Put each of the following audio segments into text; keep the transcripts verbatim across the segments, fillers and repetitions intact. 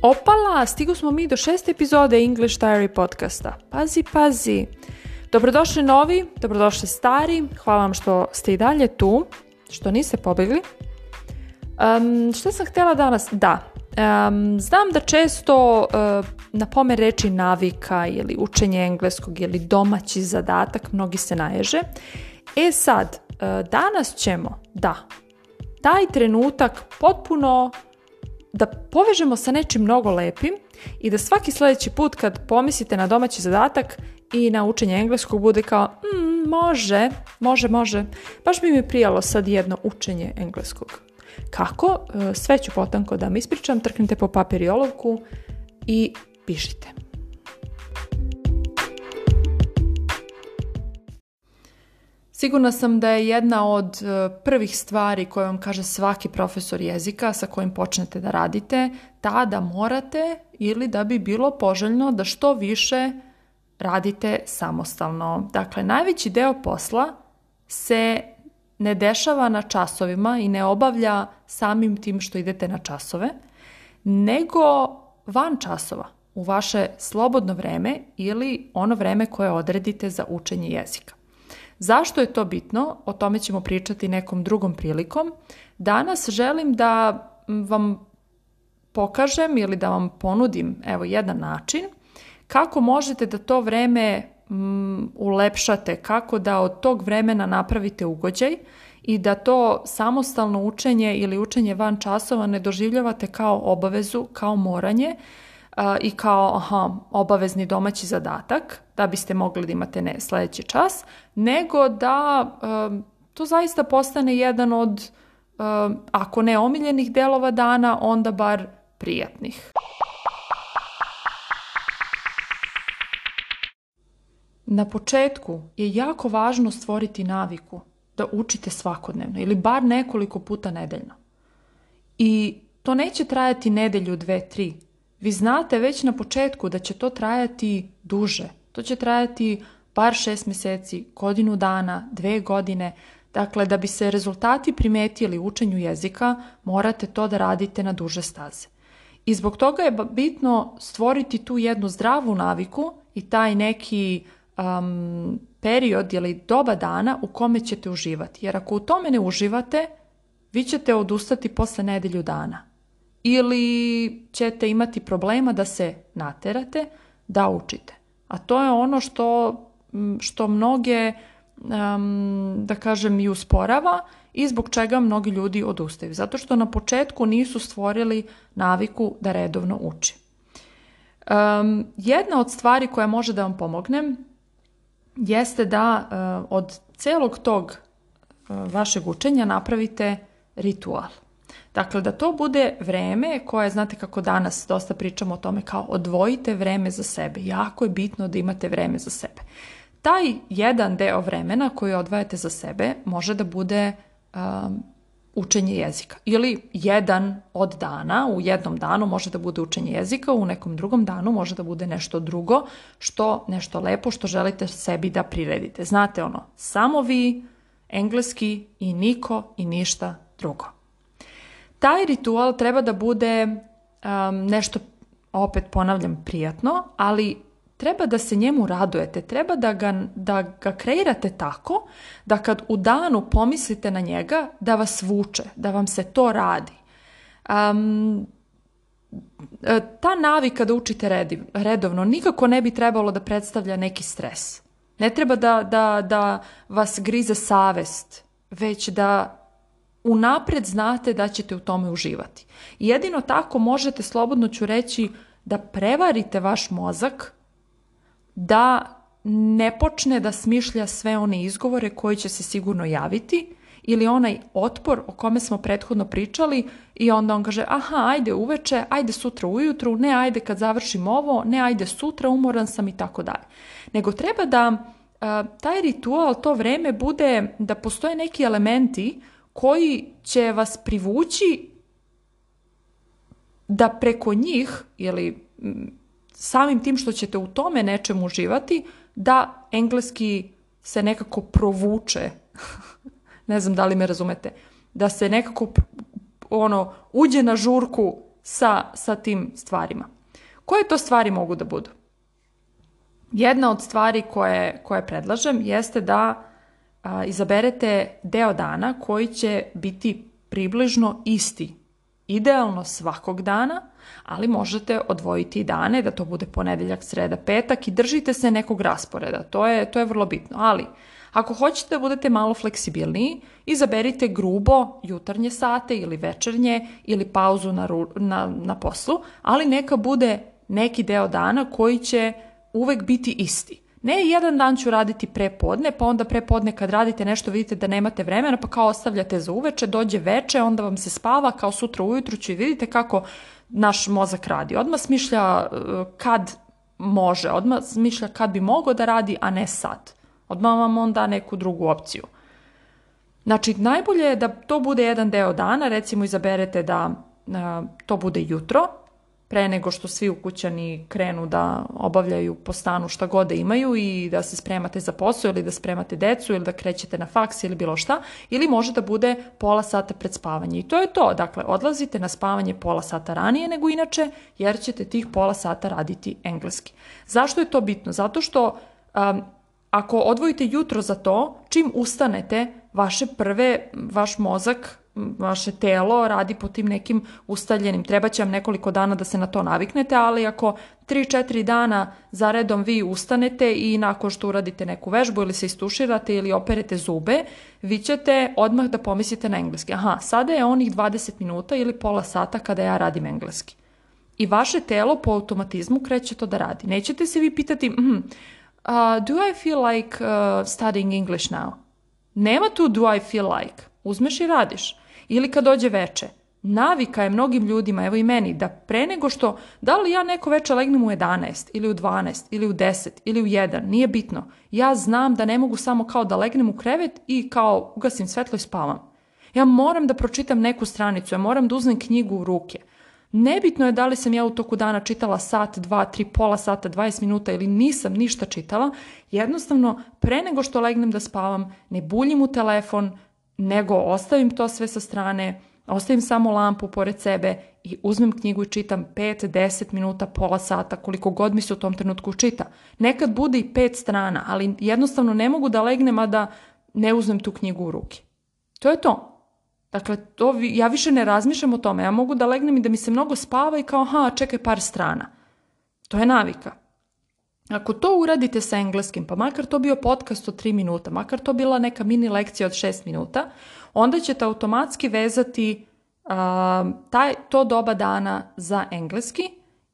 Opala, stigo smo mi do šeste epizode English Diary podcasta. Pazi, pazi. Dobrodošli novi, dobrodošli stari. Hvala vam što ste i dalje tu, što niste pobjegli. Um, što sam htjela danas? Da, um, znam da često uh, na pomen reči navika ili učenje engleskog ili domaći zadatak mnogi se naježe. E sad, uh, danas ćemo, da, taj trenutak potpuno da povežemo sa nečim mnogo lepim i da svaki sljedeći put kad pomislite na domaći zadatak i na učenje engleskog bude kao mm, može, može, može. Baš bi mi prijalo sad jedno učenje engleskog. Kako? Sve ću potanko da vam ispričam, trknite po papir i olovku i pišite. Sigurna sam da je jedna od prvih stvari koje vam kaže svaki profesor jezika sa kojim počnete da radite ta da morate ili da bi bilo poželjno da što više radite samostalno. Dakle, najveći deo posla se ne dešava na časovima i ne obavlja samim tim što idete na časove, nego van časova, u vaše slobodno vreme ili ono vreme koje odredite za učenje jezika. Zašto je to bitno? O tome ćemo pričati nekom drugom prilikom. Danas želim da vam pokažem ili da vam ponudim evo jedan način kako možete da to vreme mm, ulepšate, kako da od tog vremena napravite ugođaj i da to samostalno učenje ili učenje van časova ne doživljavate kao obavezu, kao moranje a, i kao aha, obavezni domaći zadatak da biste mogli da imate ne sljedeći čas, nego da a, to zaista postane jedan od, a, ako ne omiljenih delova dana, onda bar prijatnih. Na početku je jako važno stvoriti naviku da učite svakodnevno ili bar nekoliko puta nedeljno. I to neće trajati nedelju, dve, tri. Vi znate već na početku da će to trajati duže. To će trajati bar šest mjeseci, godinu dana, dve godine. Dakle, da bi se rezultati primetili u učenju jezika, morate to da radite na duže staze. I zbog toga je bitno stvoriti tu jednu zdravu naviku i taj neki um, period ili doba dana u kome ćete uživati. Jer ako u tome ne uživate, vi ćete odustati posle nedelju dana. Ili ćete imati problema da se naterate da učite. A to je ono što, što mnoge, um, da kažem, i usporava i zbog čega mnogi ljudi odustaju. Zato što na početku nisu stvorili naviku da redovno uči. Um, jedna od stvari koja može da vam pomogne jeste da uh, od celog tog uh, vašeg učenja napravite ritual. Dakle, da to bude vreme koje, znate kako danas dosta pričamo o tome, kao odvojite vreme za sebe. Jako je bitno da imate vreme za sebe. Taj jedan deo vremena koji odvajate za sebe može da bude um, učenje jezika. Ili jedan od dana, u jednom danu može da bude učenje jezika, u nekom drugom danu može da bude nešto drugo, što nešto lepo što želite sebi da priredite. Znate ono, samo vi, engleski i niko i ništa drugo. Taj ritual treba da bude um, nešto, opet ponavljam, prijatno, ali treba da se njemu radujete, treba da ga, da ga kreirate tako da kad u danu pomislite na njega, da vas vuče, da vam se to radi. Um, ta navika da učite redi, redovno nikako ne bi trebalo da predstavlja neki stres. Ne treba da, da, da vas grize savest, već da unapred znate da ćete u tome uživati. Jedino tako možete, slobodno ću reći, da prevarite vaš mozak da ne počne da smišlja sve one izgovore koji će se sigurno javiti ili onaj otpor o kome smo prethodno pričali i onda on kaže aha, ajde uveče, ajde sutra ujutru, ne ajde kad završim ovo, ne ajde sutra, umoran sam i tako dalje. Nego treba da uh, taj ritual, to vreme bude, da postoje neki elementi koji će vas privući da preko njih ili samim tim što ćete u tome nečemu uživati, da engleski se nekako provuče. Ne znam da li me razumete. Da se nekako ono, uđe na žurku sa, sa tim stvarima. Koje to stvari mogu da budu? Jedna od stvari koje, koje predlažem jeste da a, izaberete deo dana koji će biti približno isti. Idealno svakog dana, ali možete odvojiti i dane, da to bude ponedeljak, sreda, petak i držite se nekog rasporeda. To je, to je vrlo bitno. Ali ako hoćete da budete malo fleksibilniji, izaberite grubo jutarnje sate ili večernje ili pauzu na, na, na poslu, ali neka bude neki deo dana koji će uvek biti isti. Ne jedan dan ću raditi prepodne, pa onda prepodne kad radite nešto vidite da nemate vremena, pa kao ostavljate za uveče, dođe veče, onda vam se spava, kao sutra ujutru ću i vidite kako naš mozak radi. Odmah smišlja kad može, odmah smišlja kad bi mogao da radi, a ne sad. Odmah vam on da neku drugu opciju. Znači, najbolje je da to bude jedan deo dana, recimo izaberete da a, to bude jutro, pre nego što svi ukućani krenu da obavljaju po stanu šta god da imaju i da se spremate za posao ili da spremate decu ili da krećete na faks ili bilo šta, ili može da bude pola sata pred spavanje. I to je to. Dakle, odlazite na spavanje pola sata ranije nego inače, jer ćete tih pola sata raditi engleski. Zašto je to bitno? Zato što um, ako odvojite jutro za to, čim ustanete, vaše prve, vaš mozak, vaše telo radi po tim nekim ustaljenim. Treba će vam nekoliko dana da se na to naviknete, ali ako tri četiri dana za redom vi ustanete i nakon što uradite neku vežbu ili se istuširate ili operete zube, vi ćete odmah da pomislite na engleski. Aha, sada je onih dvadeset minuta ili pola sata kada ja radim engleski. I vaše telo po automatizmu kreće to da radi. Nećete se vi pitati, mm, uh, do I feel like uh, studying English now? Nema tu do I feel like. Uzmeš i radiš. Ili kad dođe veče. Navika je mnogim ljudima, evo i meni, da pre nego što, da li ja neko veče legnem u jedanaest ili u dvanaest ili u deset ili u jedan, nije bitno. Ja znam da ne mogu samo kao da legnem u krevet i kao ugasim svetlo i spavam. Ja moram da pročitam neku stranicu, ja moram da uzmem knjigu u ruke. Nebitno je da li sam ja u toku dana čitala sat, dva, tri, pola sata, dvadeset minuta ili nisam ništa čitala. Jednostavno, pre nego što legnem da spavam, ne buljim u telefon, nego ostavim to sve sa strane, ostavim samo lampu pored sebe i uzmem knjigu i čitam pet, deset minuta, pola sata, koliko god mi se u tom trenutku čita. Nekad bude i pet strana, ali jednostavno ne mogu da legnem, a da ne uzmem tu knjigu u ruke. To je to. Dakle, to, ja više ne razmišljam o tome. Ja mogu da legnem i da mi se mnogo spava i kao, aha, čekaj par strana. To je navika. Ako to uradite sa engleskim, pa makar to bio podcast od tri minuta, makar to bila neka mini lekcija od šest minuta, onda ćete automatski vezati uh, taj, to doba dana za engleski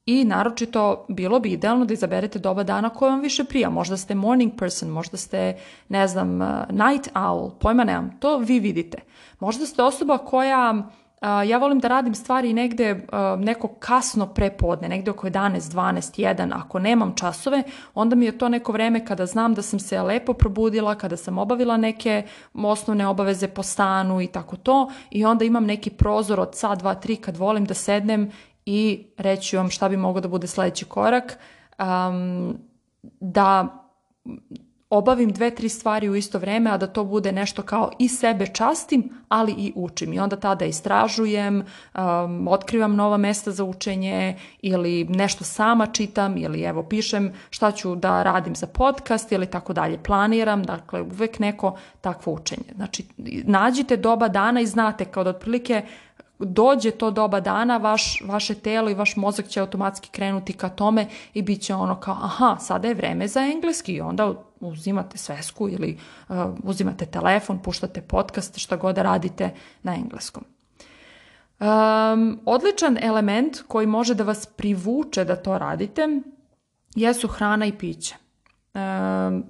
i naročito bilo bi idealno da izaberete doba dana koje vam više prija. Možda ste morning person, možda ste, ne znam, uh, night owl, pojma nemam, to vi vidite. Možda ste osoba koja... Uh, ja volim da radim stvari negde uh, neko kasno prepodne, negde oko jedanaest, dvanaest, jedan. Ako nemam časove, onda mi je to neko vreme kada znam da sam se lepo probudila, kada sam obavila neke osnovne obaveze po stanu i tako to. I onda imam neki prozor od sat, dva, tri kad volim da sednem i reći vam šta bi mogao da bude sledeći korak. Um, da... obavim dve, tri stvari u isto vreme, a da to bude nešto kao i sebe častim, ali i učim. I onda tada istražujem, um, otkrivam nova mesta za učenje ili nešto sama čitam ili evo pišem šta ću da radim za podcast ili tako dalje. Planiram, dakle uvek neko takvo učenje. Znači, nađite doba dana i znate kao da otprilike dođe to doba dana, vaš, vaše telo i vaš mozak će automatski krenuti ka tome i bit će ono kao, aha, sada je vreme za engleski i onda uzimate svesku ili uh, uzimate telefon, puštate podcast, šta god da radite na engleskom. Um, odličan element koji može da vas privuče da to radite jesu hrana i piće. Um,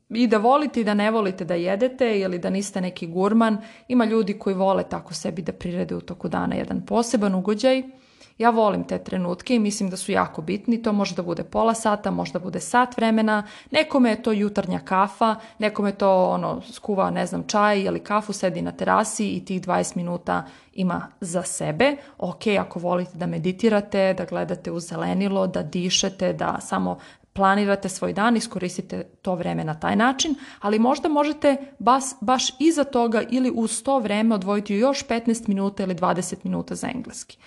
I da volite i da ne volite da jedete ili da niste neki gurman. Ima ljudi koji vole tako sebi da prirede u toku dana jedan poseban ugođaj. Ja volim te trenutke i mislim da su jako bitni. To može da bude pola sata, možda bude sat vremena. Nekome je to jutarnja kafa, nekome je to ono, skuva, ne znam, čaj ili kafu, sedi na terasi i tih dvadeset minuta ima za sebe. Ok, ako volite da meditirate, da gledate u zelenilo, da dišete, da samo planirate svoj dan, iskoristite to vreme na taj način, ali možda možete baš, baš iza toga ili uz to vreme odvojiti još petnaest minuta ili dvadeset minuta za engleski.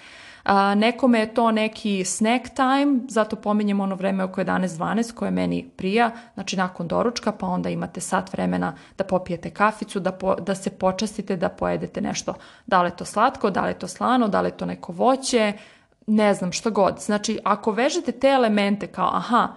A, nekome je to neki snack time, zato pominjem ono vreme oko jedanaest dvanaest koje meni prija, znači nakon doručka, pa onda imate sat vremena da popijete kaficu, da, po, da se počastite, da pojedete nešto, da li je to slatko, da li je to slano, da li je to neko voće, ne znam, što god. Znači, ako vežete te elemente kao, aha,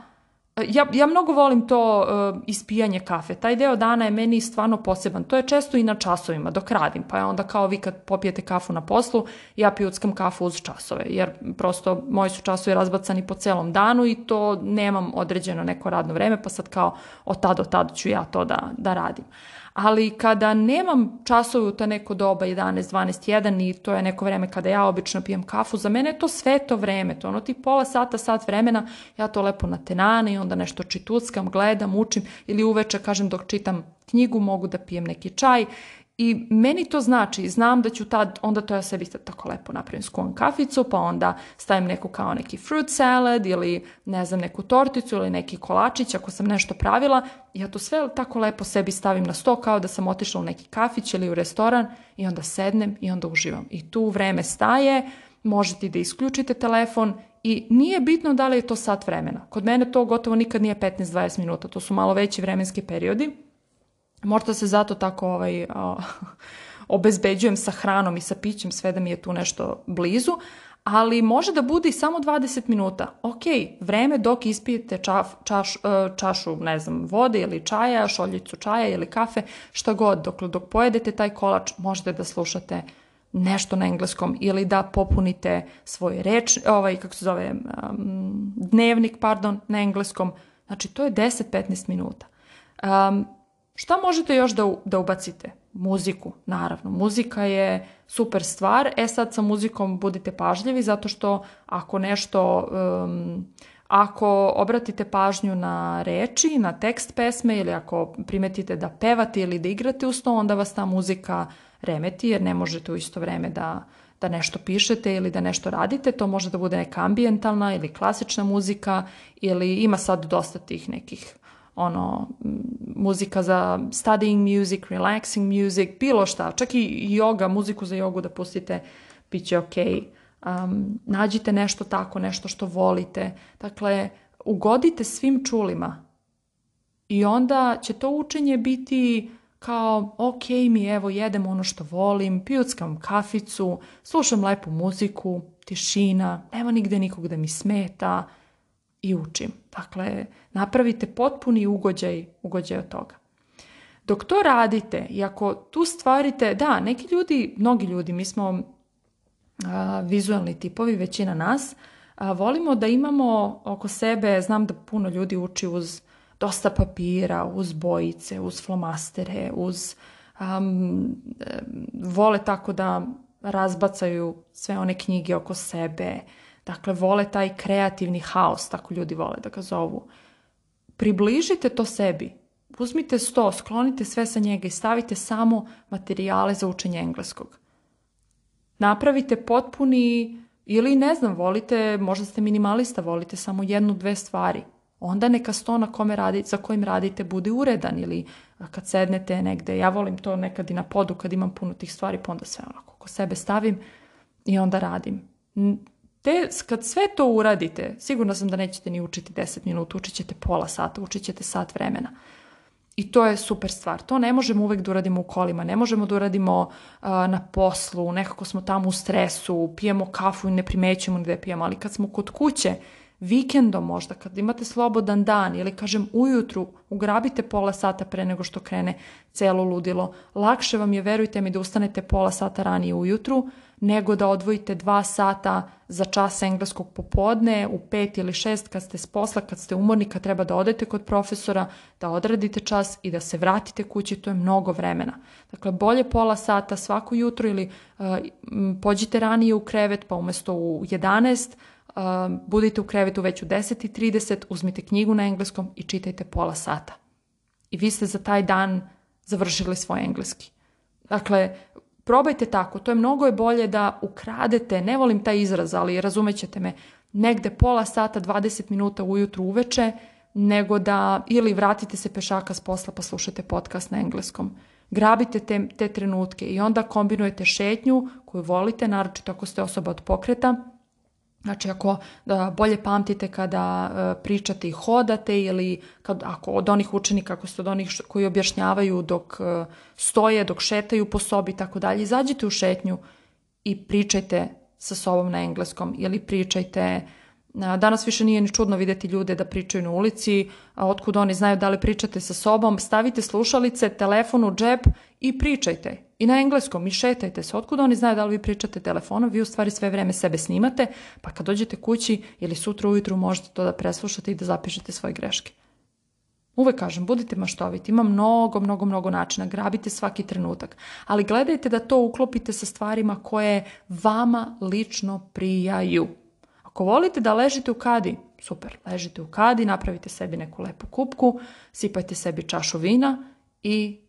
ja, ja mnogo volim to uh, ispijanje kafe. Taj deo dana je meni stvarno poseban. To je često i na časovima dok radim. Pa je onda kao vi kad popijete kafu na poslu, ja pijuckam kafu uz časove. Jer prosto moji su časovi razbacani po celom danu i to nemam određeno neko radno vreme, pa sad kao od tad do tad ću ja to da, da radim. Ali kada nemam časove u to neko doba jedanaest, dvanaest, jedan i to je neko vreme kada ja obično pijem kafu, za mene je to sve to vreme, to ono ti pola sata, sat vremena, ja to lepo natenane i onda nešto čituckam, gledam, učim ili uveče, kažem, dok čitam knjigu mogu da pijem neki čaj. I meni to znači, znam da ću tad, onda to ja sebi tako lepo napravim, skuvam kaficu, pa onda stavim neku kao neki fruit salad ili ne znam neku torticu ili neki kolačić ako sam nešto pravila. Ja to sve tako lepo sebi stavim na sto kao da sam otišla u neki kafić ili u restoran i onda sednem i onda uživam. I tu vreme staje, možete da isključite telefon i nije bitno da li je to sat vremena. Kod mene to gotovo nikad nije petnaest do dvadeset minuta, to su malo veći vremenski periodi. Možda se zato tako ovaj, o, obezbeđujem sa hranom i sa pićem, sve da mi je tu nešto blizu, ali može da bude i samo dvadeset minuta. Ok, vreme dok ispijete čaf, čaš, čašu, ne znam, vode ili čaja, šoljicu čaja ili kafe, šta god, dok, dok pojedete taj kolač, možete da slušate nešto na engleskom ili da popunite svoj reč, ovaj, kako se zove, um, dnevnik, pardon, na engleskom. Znači, to je deset do petnaest minuta. Um, Šta možete još da, da ubacite? Muziku, naravno. Muzika je super stvar. E sad sa muzikom budite pažljivi zato što ako nešto, um, ako obratite pažnju na reči, na tekst pesme ili ako primetite da pevate ili da igrate uz to, onda vas ta muzika remeti jer ne možete u isto vreme da, da nešto pišete ili da nešto radite. To može da bude neka ambijentalna ili klasična muzika ili ima sad dosta tih nekih ono, muzika za studying music, relaxing music, bilo šta, čak i yoga, muziku za jogu da pustite, bit će ok. Um, nađite nešto tako, nešto što volite. Dakle, ugodite svim čulima i onda će to učenje biti kao, ok mi, evo, jedem ono što volim, pijuckam kaficu, slušam lepu muziku, tišina, nema nigde nikog da mi smeta, i učim. Dakle, napravite potpuni ugođaj, ugođaj od toga. Dok to radite i ako tu stvarite, da, neki ljudi, mnogi ljudi, mi smo a, vizualni tipovi, većina nas, a, volimo da imamo oko sebe, znam da puno ljudi uči uz dosta papira, uz bojice, uz flomastere, uz um, vole tako da razbacaju sve one knjige oko sebe. Dakle, vole taj kreativni haos, tako ljudi vole da ga zovu. Približite to sebi. Uzmite sto, sklonite sve sa njega i stavite samo materijale za učenje engleskog. Napravite potpuni, ili ne znam, volite, možda ste minimalista, volite samo jednu, dve stvari. Onda neka sto na kome radite, za kojim radite bude uredan ili kad sednete negde. Ja volim to nekad i na podu kad imam puno tih stvari, pa onda sve onako oko sebe stavim i onda radim. Te, kad sve to uradite, sigurno sam da nećete ni učiti deset minuta, učit ćete pola sata, učit ćete sat vremena. I to je super stvar. To ne možemo uvek da uradimo u kolima, ne možemo da uradimo uh, na poslu, nekako smo tamo u stresu, pijemo kafu i ne primećujemo gde pijemo, ali kad smo kod kuće, vikendom možda, kad imate slobodan dan ili kažem ujutru, ugrabite pola sata pre nego što krene celo ludilo. Lakše vam je, verujte mi, da ustanete pola sata ranije ujutru, nego da odvojite dva sata za čas engleskog popodne, u pet ili šest kad ste s posla, kad ste umorni, kad treba da odete kod profesora, da odradite čas i da se vratite kući, to je mnogo vremena. Dakle, bolje pola sata svako jutro ili uh, pođite ranije u krevet, pa umesto u jedanaest, uh, budite u krevetu već u deset i trideset, uzmite knjigu na engleskom i čitajte pola sata. I vi ste za taj dan završili svoj engleski. Dakle, probajte tako, to je mnogo je bolje da ukradete, ne volim taj izraz, ali razumet ćete me, negde pola sata, dvadeset minuta ujutru uveče, nego da ili vratite se pešaka s posla pa slušate podcast na engleskom. Grabite te, te trenutke i onda kombinujete šetnju koju volite, naročito ako ste osoba od pokreta. Znači ako da bolje pamtite kada uh, pričate i hodate ili kad, ako od onih učenika, ako ste od onih koji objašnjavaju dok uh, stoje, dok šetaju po sobi i tako dalje, izađite u šetnju i pričajte sa sobom na engleskom ili pričajte. Danas više nije ni čudno vidjeti ljude da pričaju na ulici, a otkud oni znaju da li pričate sa sobom, stavite slušalice, telefon u džep i pričajte. I na engleskom, i šetajte se. Otkud oni znaju da li vi pričate telefonom, vi u stvari sve vreme sebe snimate, pa kad dođete kući ili sutra ujutru možete to da preslušate i da zapišete svoje greške. Uvek kažem, budite maštoviti, ima mnogo, mnogo, mnogo načina, grabite svaki trenutak, ali gledajte da to uklopite sa stvarima koje vama lično prijaju. Ako volite da ležite u kadi, super, ležite u kadi, napravite sebi neku lepu kupku, sipajte sebi čašu vina i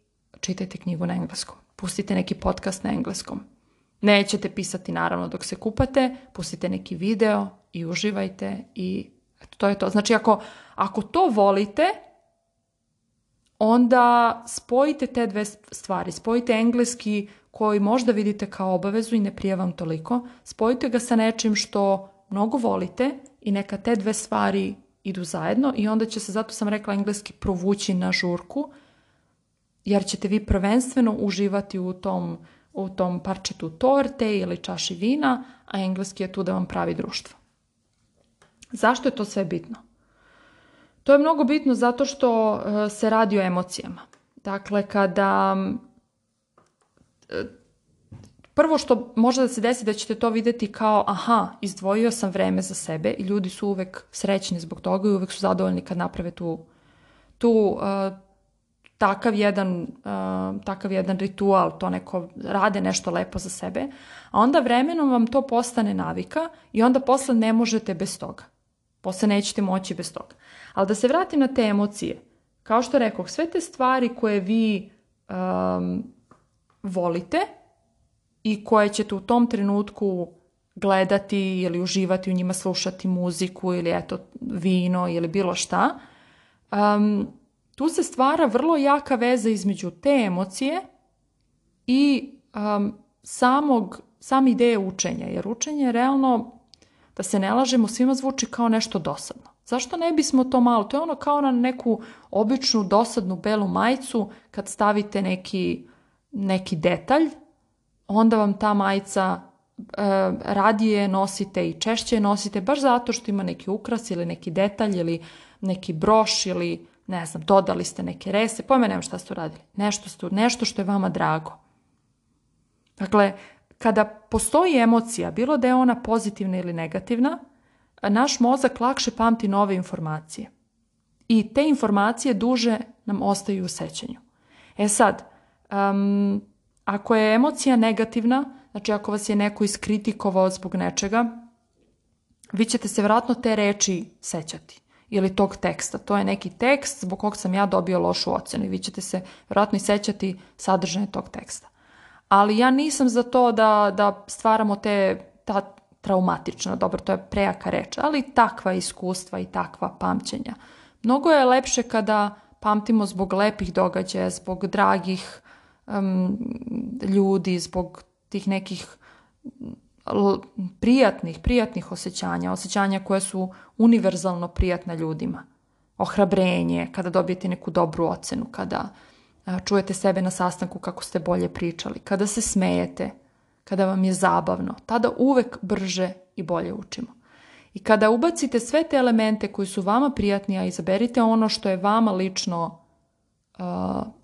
čitajte knjigu na engleskom. Pustite neki podcast na engleskom. Nećete pisati naravno dok se kupate, pustite neki video i uživajte i eto, to je to. Znači ako, ako to volite, onda spojite te dve stvari. Spojite engleski koji možda vidite kao obavezu i ne prija vam toliko. Spojite ga sa nečim što mnogo volite i neka te dve stvari idu zajedno i onda će se, zato sam rekla engleski, provući na žurku, jer ćete vi prvenstveno uživati u tom, u tom parčetu torte ili čaši vina, a engleski je tu da vam pravi društvo. Zašto je to sve bitno? To je mnogo bitno zato što uh, se radi o emocijama. Dakle, kada... Uh, Prvo što može da se desi da ćete to vidjeti kao aha, izdvojio sam vreme za sebe i ljudi su uvek srećni zbog toga i uvek su zadovoljni kad naprave tu, tu uh, takav, jedan, uh, takav jedan ritual, to neko rade nešto lepo za sebe, a onda vremenom vam to postane navika i onda posle ne možete bez toga. Posle nećete moći bez toga. Ali da se vratim na te emocije, kao što rekoh, sve te stvari koje vi um, volite i koje ćete u tom trenutku gledati ili uživati u njima, slušati muziku ili eto vino ili bilo šta, um, tu se stvara vrlo jaka veza između te emocije i um, samog, same ideje učenja. Jer učenje je realno, da se ne lažemo, svima zvuči kao nešto dosadno. Zašto ne bismo to malo? To je ono kao na neku običnu dosadnu belu majicu kad stavite neki, neki detalj, onda vam ta majica e, radije nosite i češće nosite baš zato što ima neki ukras ili neki detalj ili neki broš ili ne znam, dodali ste neke rese, pojme nema šta ste uradili. Nešto, ste, nešto što je vama drago. Dakle, kada postoji emocija, bilo da je ona pozitivna ili negativna, naš mozak lakše pamti nove informacije. I te informacije duže nam ostaju u sećanju. E sad, um, ako je emocija negativna, znači ako vas je neko iskritikovao zbog nečega, vi ćete se vjerojatno te reči sećati. Ili tog teksta. To je neki tekst zbog kog sam ja dobio lošu ocenu i vi ćete se vjerojatno i sećati sadržaja tog teksta. Ali ja nisam za to da, da stvaramo te, ta traumatična, dobro, to je prejaka reč, ali takva iskustva i takva pamćenja. Mnogo je lepše kada pamtimo zbog lepih događaja, zbog dragih um, ljudi, zbog tih nekih prijatnih, prijatnih osjećanja, osjećanja koje su univerzalno prijatna ljudima. Ohrabrenje, kada dobijete neku dobru ocenu, kada a, čujete sebe na sastanku kako ste bolje pričali, kada se smejete, kada vam je zabavno, tada uvek brže i bolje učimo. I kada ubacite sve te elemente koji su vama prijatni, a izaberite ono što je vama lično uh,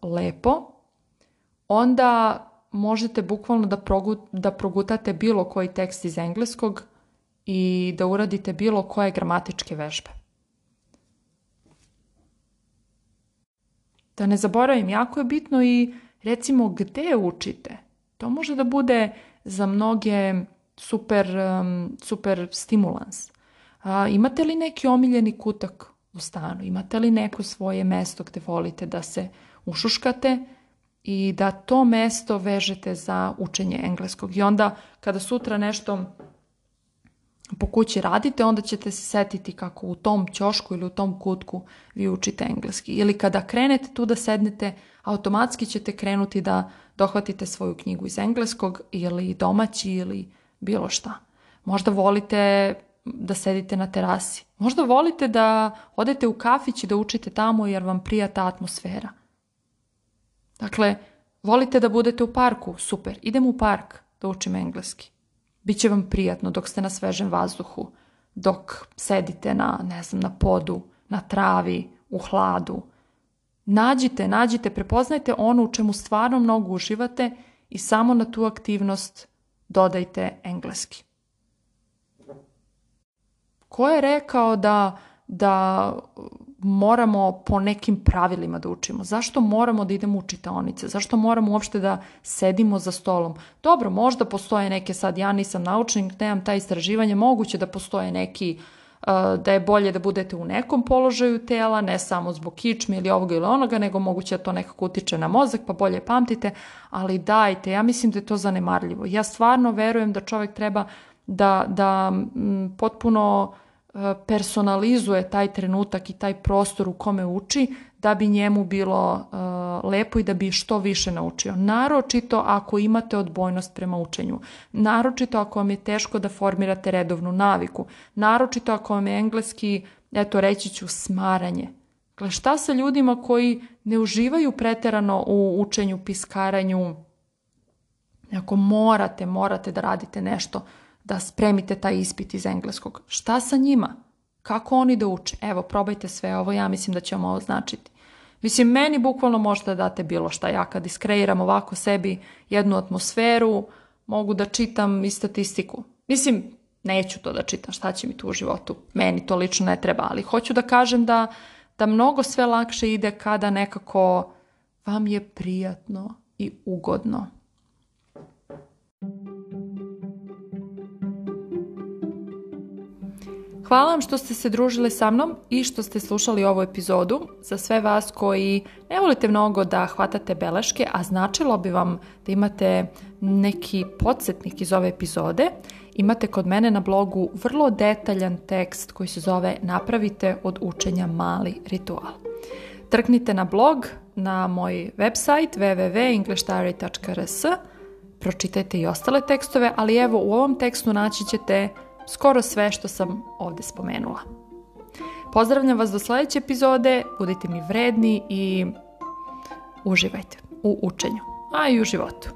lepo, onda možete bukvalno da, progut, da progutate bilo koji tekst iz engleskog i da uradite bilo koje gramatičke vežbe. Da ne zaboravim, jako je bitno i recimo gde učite. To može da bude za mnoge super, um, super stimulans. A, imate li neki omiljeni kutak u stanu? Imate li neko svoje mesto gde volite da se ušuškate i da to mesto vežete za učenje engleskog? I onda kada sutra nešto po kući radite, onda ćete se setiti kako u tom ćošku ili u tom kutku vi učite engleski. Ili kada krenete tu da sednete, automatski ćete krenuti da dohvatite svoju knjigu iz engleskog ili domaći ili bilo šta. Možda volite da sedite na terasi. Možda volite da odete u kafić i da učite tamo jer vam prija ta atmosfera. Dakle, volite da budete u parku, super, idem u park da učim engleski. Biće vam prijatno dok ste na svežem vazduhu, dok sedite na, ne znam, na podu, na travi, u hladu. Nađite, nađite, prepoznajte ono u čemu stvarno mnogo uživate i samo na tu aktivnost dodajte engleski. Ko je rekao da, da moramo po nekim pravilima da učimo? Zašto moramo da idemo u čitaonice? Zašto moramo uopšte da sedimo za stolom? Dobro, možda postoje neke, sad ja nisam naučnik, nemam ta istraživanja, moguće da postoje neki, uh, da je bolje da budete u nekom položaju tela, ne samo zbog kičme ili ovoga ili onoga, nego moguće da to nekako utiče na mozak, pa bolje pamtite, ali dajte, ja mislim da je to zanemarljivo. Ja stvarno verujem da čovjek treba da, da m, potpuno personalizuje taj trenutak i taj prostor u kome uči da bi njemu bilo uh, lepo i da bi što više naučio. Naročito ako imate odbojnost prema učenju. Naročito ako vam je teško da formirate redovnu naviku. Naročito ako vam je engleski, eto reći ću, smaranje. Dakle, šta sa ljudima koji ne uživaju preterano u učenju, piskaranju? Ako morate, morate da radite nešto, da spremite taj ispit iz engleskog. Šta sa njima? Kako oni da uče? Evo, probajte sve ovo, ja mislim da će vam ovo značiti. Mislim, meni bukvalno možete da date bilo šta. Ja kad iskreiram ovako sebi jednu atmosferu, mogu da čitam i statistiku. Mislim, neću to da čitam, šta će mi tu u životu? Meni to lično ne treba, ali hoću da kažem da, da mnogo sve lakše ide kada nekako vam je prijatno i ugodno. Hvala vam što ste se družili sa mnom i što ste slušali ovu epizodu. Za sve vas koji ne volite mnogo da hvatate beleške, a značilo bi vam da imate neki podsjetnik iz ove epizode, imate kod mene na blogu vrlo detaljan tekst koji se zove Napravite od učenja mali ritual. Trknite na blog, na moj website w w w tačka english diary tačka r s, pročitajte i ostale tekstove, ali evo u ovom tekstu naći ćete skoro sve što sam ovdje spomenula. Pozdravljam vas do sljedeće epizode, budite mi vredni i uživajte u učenju, a i u životu.